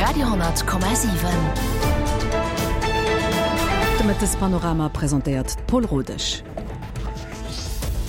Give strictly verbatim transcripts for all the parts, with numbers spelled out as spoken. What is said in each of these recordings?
Radio honnert Komma siwen. De Mëttespanorama presentéiert d'Paul Rodesch.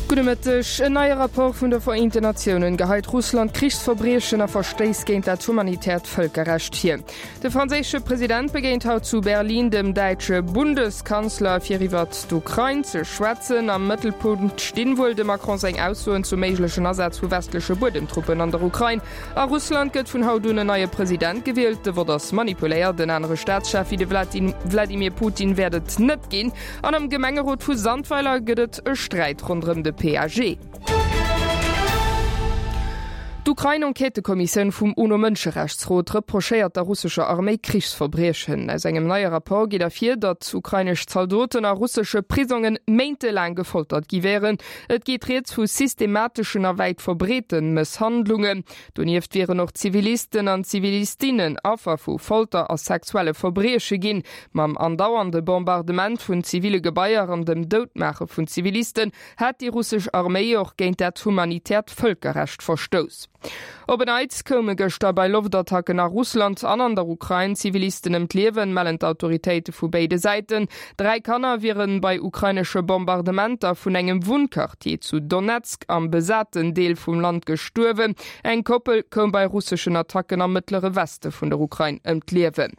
Gudde Mëtteg. En neie Rapport vun de Vereenten Natiounen geheit Russland Krichsverbriechen a Verstéiss géint dat humanitäert Vëlkerrecht vir. De franséische President begéint haut zu Berlin dem däitsche Bundeskanzler, fir iwwert d'Ukrain ze schwätzen. Am Mëttelpunkt stinn wuel dem Macron seng Aussoen zum méiglechen Asaz vu westleche Buedemtruppen an der Ukrain. A Russland gëtt vun haut un en neie President gewielt. De Vott ass manipuléiert, en anere Staatschef wéi de Wladimir Putin wäert et net ginn. An am Gemengerot vu Sandweiler gëtt et e Sträit ronderëm de P A G. D'Ukrain-Enquêtëkommissioun vum UNO-Mënscherechtsrot reprochéiert der russescher Arméi Krichsverbriechen. Aus engem neie Rapport geet ervir, datt ukrainesch Zaldoten a russesche Prisongen méintelaang gefoltert gi wären. Et geet rieds vu systemateschen a wäit verbreete Mësshandlungen. Donieft wieren och Zivilisten an Zivilistinnen Affer vu Folter a sexuelle Verbrieche ginn. Mam andauernde Bombardement vun ziville Gebaier an dem Doutmaache vun Zivilisten hätt déi russesch Arméi och géint dat humanitäert Vëlkerrecht verstouss. Op en Neits koume gëschter bei Loftattacken a Russland an an der Ukrain Zivilisten ëm d'Liewen, mellen d'Autoritéite vu béide Säiten. Dräi Kanner wiere bei ukrainesche Bombardementer vun engem Wunnquartier zu Donezk am besaten Deel vum Land gestuerwen. Eng Koppel koum bei russeschen Attacken am mëttlere Weste vun der Ukrain ëm d'Liewen.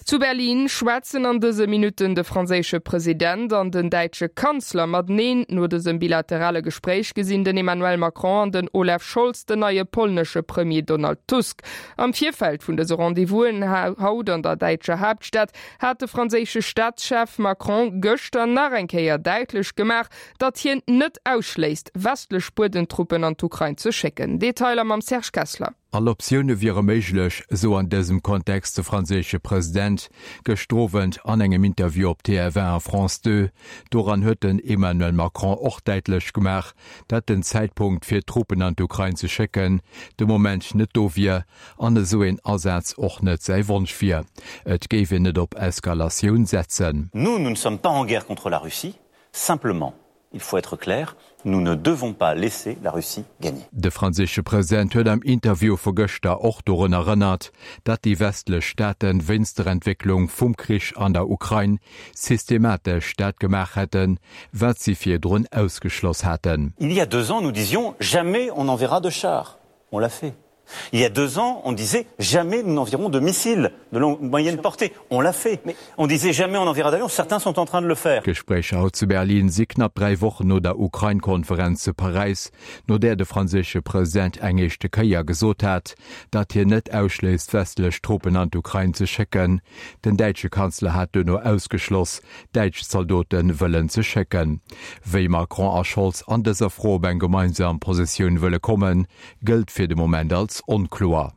Zu Berlin schwätzen an dëse Minutten de franséische President an den däitsche Kanzler mateneen. No dësem bilaterale Gespréich gesinn den Emmanuel Macron an den Olaf Scholz den neie polnesche Premier Donald Tusk. Am Virfeld vun dëse Rendez-vousen haut an der däitscher Haaptstad hat de franséische Staatschef Macron gëschter nach eng Kéier däitlech gemaach, datt hien net ausschléisst, westlech Buedentruppen an d'Ukrain ze schécken. Detailer mam Serge Kessler. All Optioune wiere méiglech, esou an dësem Kontext de franséische President gëschter Owend an engem Interview op T F een a France zwou. Doran huet den Emmanuel Macron och däitlech gemaach, datt den Zäitpunkt fir Truppen an d'Ukrain ze schécken de Moment net do wier an esou een Asaz och net säi Wonsch wier. Et géif een net op Eskalatioun setzen. Nous, nous ne sommes pas en guerre contre la Russie, simplement, il faut être clair, nous ne devons pas laisser la Russie gagner. De franséische President huet am Interview vu gëschter och dorun erënnert, datt déi westlech Staate wéinst der Entwécklung vum Krich an der Ukrain systematesch dat gemaach hätten, wat si virdrun ausgeschloss haten. Il y a deux ans, nous disions jamais on n'enverra de chars. On l'a fait. Il y a deux ans, on disait jamais nous n'enverrons de missiles de longue, moyenne portée. On l'a fait. Mais on disait jamais on n'enverra d'avions. Certains sont en train de le faire. D'Gespréicher haut zu Berlin si knapp dräi Wochen no der Ukrain-Konferenz zu Paräis, no där de franséische President eng éischte Kéier gesot hat, datt hien net ausschléisst, westlech Truppen an d'Ukrain ze schécken. Den däitsche Kanzler hat duerno ausgeschloss, däitsch Zaldote wëllen ze schécken. Wéi Macron a Scholz an dëser Fro op eng gemeinsam Positioun wëlle kommen, gëllt fir de Moment als onkloer.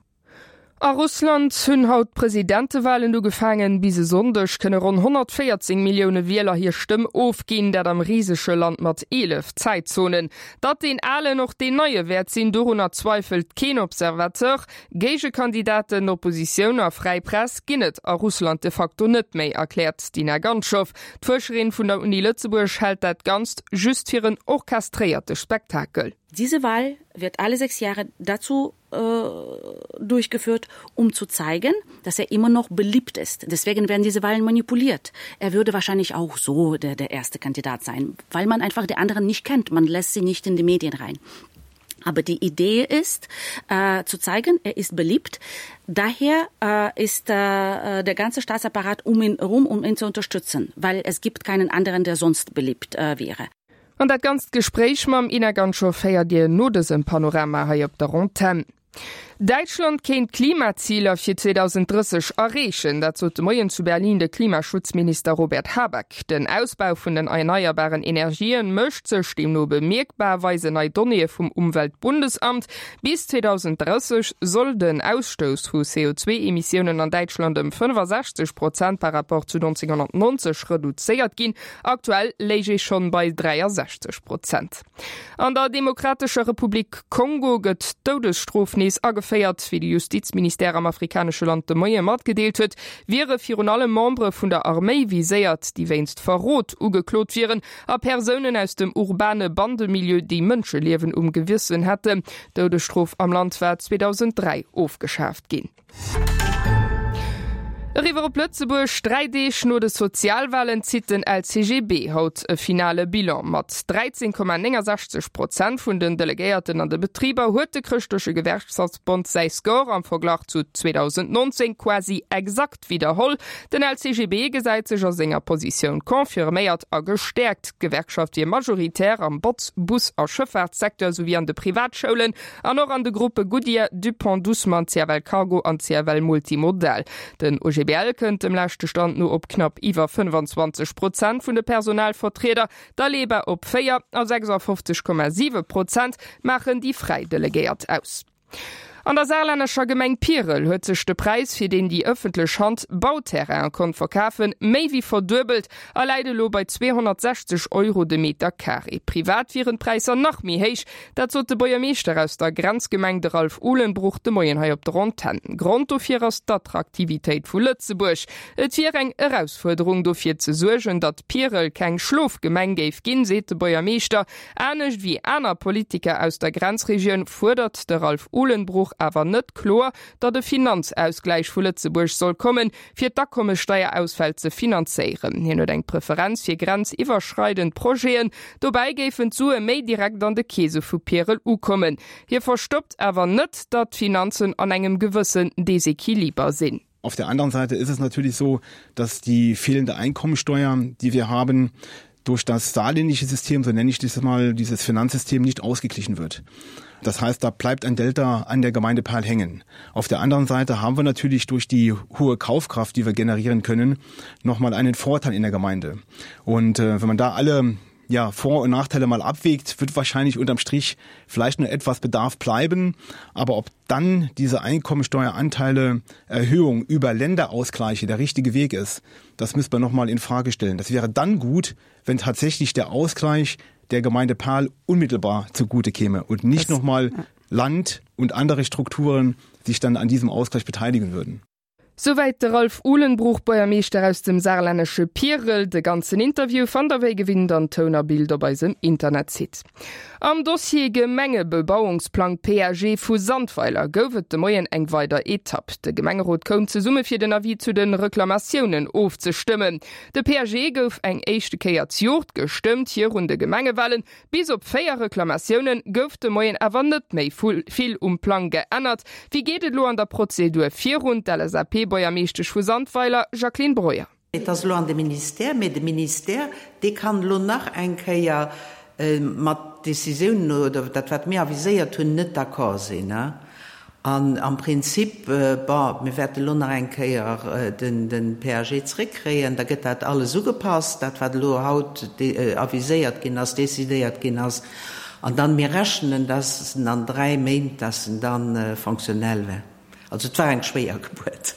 A Russland hunn haut d'Presidentewalen ugefaangen. Bis e Sonndeg kënne ronn honnertvéierzéng Millioune Wieler hir Stëmm ofginn, dat am risege Land mat eelef Zäitzonen. Datt deen Alen och deen Neie wäert sinn, dorunner zweifelt keen Observateur. Géigekandidaten, Oppositioun a fräi Press ginn et a Russland de facto net méi, erkläert d'Inna Ganschow. D'Fuerscherin vun der Uni Lëtzebuerg hält dat Ganzt just fir en orchestréierte Spektakel. Diese Wahl wird alle sechs Jahre dazu äh, durchgeführt, um zu zeigen, dass er immer noch beliebt ist. Deswegen werden diese Wahlen manipuliert. Er würde wahrscheinlich auch so der, der erste Kandidat sein, weil man einfach die anderen nicht kennt. Man lässt sie nicht in die Medien rein. Aber die Idee ist, äh, zu zeigen, er ist beliebt. Daher äh, ist äh, der ganze Staatsapparat um ihn herum, um ihn zu unterstützen, weil es gibt keinen anderen, der sonst beliebt äh, wäre. An dat ganzt Gespréich mam Ina Ganschow héiert Dir no dësem Panorama hei op der Antenn. Däitschland kéint d'Klimaziler fir zweedausenddrësseg erreechen, dat sot de Moien zu Berlin de Klimaschutzminister Robert Habeck. Den Ausbau vun den erneierbaren Energien mécht sech deemno bemierkbar, weisen nei Donnéeë vum Umweltbundesamt. Bis zweedausenddrësseg soll den Ausstouss vu C O zwee Emissiounen an Däitschland ëm fënnefasechzeg Prozent par rapport zu nonzénghonnertnonzeg reduzéiert ginn. Aktuell léich ee schonn bei dräiasechzeg Prozent. An der Demokratescher Republik Kongo gëtt d'Doudesstrof nees ageféiert. Wéi de Justizministère am afrikanesche Land de Moie matgedeelt huet, wiere virun allem Membere vun der Arméi viséiert, déi wéinst Verrot ugeklot wieren, a Persounen aus dem urbane Bandemilieu, déi Mënscheliewen um Gewëssen hätten. D'Doudesstrof am Land war zweedausenddräi ofgeschaaft ginn. Eriwwer op Lëtzebuerg, Dräi Deeg no de Sozialwalen zitt den L C G B haut e finale Bilan. Mat dräizéng Komma néngensechzeg Prozent vun den Delegéierten an de Betriber huet de Chrëschtleche Gewerkschaftsbond säi Score am Verglach zu zweedausendnonzéng quasi exakt widderholl. Den L C G B gesäit sech a senger Positioun confirméiert a gestäerkt. D'Gewerkschaft wier majoritär am Botz-, Bus a Schëffaartssecteur souwéi an de Privatschoulen an och an de Gruppe Goodyear, Dupont, Dussmann, C F L Cargo an C F L Multimodal. Den O G B L kënnt dem leschte Stand no op knapp iwwer fënnfanzwanzeg Prozent vun de Personalvertrieder, d'Aleba op véier a sechsafofzeg Komma siwe Prozent maachen déi fräi Delegéiert aus. An der saarlännescher Gemeng Pierel huet sech de Präis, fir deen déi ëffentlech Hand Bauterraine konnt verkafen, méi wéi verduebelt a läit elo bei zweehonnertsechzeg Euro de Meter Carré. Privat wieren d'Präisser nach méi héich, dat sot de Buergermeeschter aus der Grenzgemeng, de Ralph Uhlenbruch, de Moien hei op der Antenn. Grond dofir ass d'Attraktivitéit vu Lëtzebuerg. Et wier eng Erausfuerderung, dofir ze suergen, datt Pierel keng Schlofgemeng géif ginn, seet de Buergermeeschter. Anescht wéi aner Politiker aus der Grenzregioun fuerdert de Ralph Uhlenbruch awer net kloer, datt e Finanzausgläich vu Lëtzebuerg soll kommen, fir d'Akommessteierausfäll ze finanzéieren. Hien huet eng Preferenz fir grenziwwerschreidend Projeten, dobäi géifen d'Sue méi direkt an de Keese vu Pierel ukommen. Hie verstoppt awer net, datt d'Finanzen an engem gewëssen Desequiliber sinn. Auf der anderen Seite ist es natürlich so, dass die fehlende Einkommensteuer, die wir haben, durch das saarländische System, so nenne ich das mal, dieses Finanzsystem nicht ausgeglichen wird. Das heißt, da bleibt ein Delta an der Gemeinde Perl hängen. Auf der anderen Seite haben wir natürlich durch die hohe Kaufkraft, die wir generieren können, nochmal einen Vorteil in der Gemeinde. Und äh, wenn man da alle ja, Vor- und Nachteile mal abwägt, wird wahrscheinlich unterm Strich vielleicht nur etwas Bedarf bleiben. Aber ob dann diese Einkommensteueranteile Erhöhung über Länderausgleiche der richtige Weg ist, das müsste man nochmal in Frage stellen. Das wäre dann gut, wenn tatsächlich der Ausgleich der Gemeinde Perl unmittelbar zugute käme und nicht nochmal Land und andere Strukturen sich dann an diesem Ausgleich beteiligen würden. Souwäit de Ralph Uhlenbruch, Buergermeeschter aus dem saarlännesche Pierel. De ganzen Interview fannt der wéi gewinnt an Toun a Bild op eisem Internetsite. Am Dossier Gemengebebauungsplang P A G vu Sandweiler gouf et de Moien eng weider Etapp. De Gemengerot koum zesumme fir den Avis zu den Reklamatiounen ofzestëmmen. De P A G gouf eng éischte Kéier zejoert gestëmmt virun de Gemengewalen. Bis op véier Reklamatioune gouf de Moien awer net méi vill um Plang geännert. Wéi geet et lo an der Prozedur virun? D'L S A P-Buergermeeschtesch vu Sandweiler, Jacqueline Breuer. Et ass lo an de Ministère, mee de Ministère, dee kann lo nach eng Kéier mat Decisiounen oder dat wat mir aviséiert hunn net d'accord sinn. An am Prinzip, bon, mir wäerte lo nach eng Kéier den den P A G zréckkréien, da gëtt dat alles ugepasst, dat wat elo haut aviséiert ginn ass, decidéiert ginn ass. An dann mir rechnen, dass en an dräi Méint, dass en dann fonctionnel wär. Also et war eng schwéier Gebuert.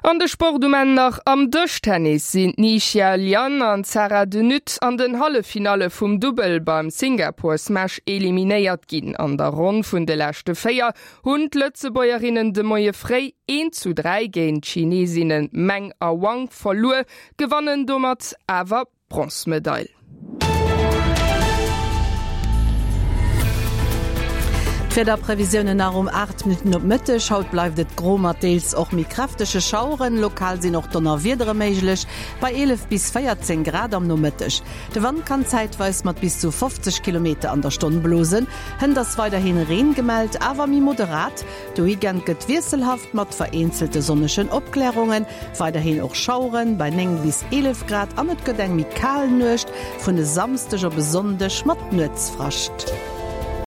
An de Sport um Enn nach. Am Dëschtennis sinn d'Ni Xia Lian an d'Sarah de Nutte an den Halleffinalle vum Dubbel beim Singapore Smash eliminéiert ginn. An der Ronn vun de leschte Véier hunn d'Lëtzebuergerinnen de Moie fréi eent zu dräi géint d'Chineesinnen Meng a Wang verluer, gewannen domat awer d'Bronzmedail. D'Wiederprevisiounen nach um aacht Minutten op Mëtteg. Haut bleift et gro mat deels och méi kräftege Schaueren. Lokal sinn och Donnerwiedere méiglech bei eelef bis véierzéng Grad am Nomëtteg. De Wand kann zäitweis mat bis zu fofzeg Kilometer an der Stonn blosen. Hënt ass weiderhi Reen gemellt, awer méi moderat. De Weekend gëtt wiesselhaft mat vereenzelte sonnegen Opklärungen, weiderhin och Schaueren bei néng bis eelef Grad an et gëtt eng méi kal Nuecht vun e Samsdeg op e Sonndeg mat Nuetsfrascht.